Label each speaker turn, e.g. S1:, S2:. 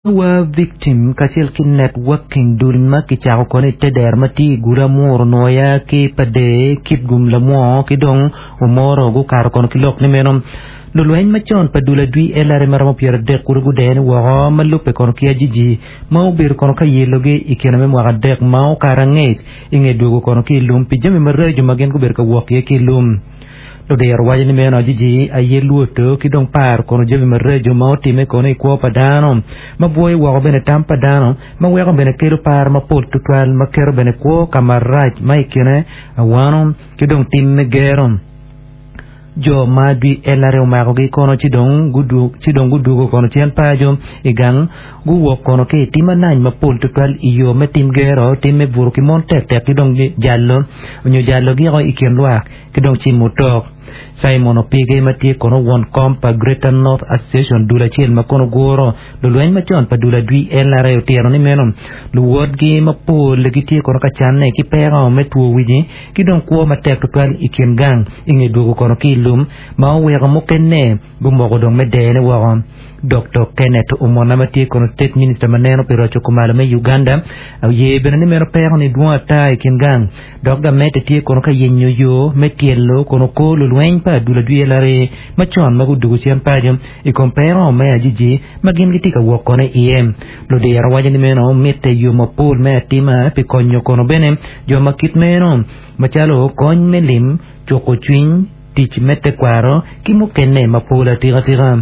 S1: War Victim kacel ki Networking dul ma kicako kono i te dero ma tye i gudo Amuru Nwoya ki Pader, Kitgum Lamwo ki dong Omoro gukato kono ki lok ni meno lulweny macon pa dul adwi LRA ma romo 30 kulu gudene woko ma lubbe kono ki ajiji ma obedo kono ka yelogi i kine me mwaka adek ma okato angec i nge dwogo kono ki i lum pi jami maraco ma gin gubedo ka wok iye ki i lum. Ludiro waco ni meno ajiji aye lwodo ki dong paro kono jami maraco ma otimme kono i kwo pa dano, ma bwoyo woko bene tam pa dano, ma weko bene kelo par mapol tutwal, ma keto bene kwo ka marac ma i kine awano ki dong tim me gero. Jo ma adwi LRA omakogi kono ci dong ci dong gudwogo kono cen paco i gang, guwok kono ki i tim anany mapol tutwal i yo me tim gero, tim me buto ki mon tektek ki dong jalo nyo jalo giko i kin lwak. ki dong cimo otok. Simon Opige ma tye kono won kom pa Greater North Association dul acel ma kono guro lulweny macon pa dul adwi LRA otito ni meno luwotgi mapol gitye kono ka canne ki peko me two wici ki dong kwo matek tutwal i kin gang i nge dwogo kono ki i lum ma oweko mukene gumoko dong me dene woko. Doktor Kenneth Omona ma tye kono State Minister ma neno pi roco kumalo me Uganda oye bene ni meno peko ni dwong ata i kin gang Dok gamente tye kono ka yenyo yo me tyelo kono kor lulweny pa adul adwi LRA macon ma gudugo cen paco i kom peko me ajiji ma gin gitye ka wok kono iye. Ludiro waco ni meno mitte yo mapol me atima pi konyo kono bene jo ma kit meno macalo kony me lim, cuko cwiny, tic me tekwaro ki mukene mapol atika tika.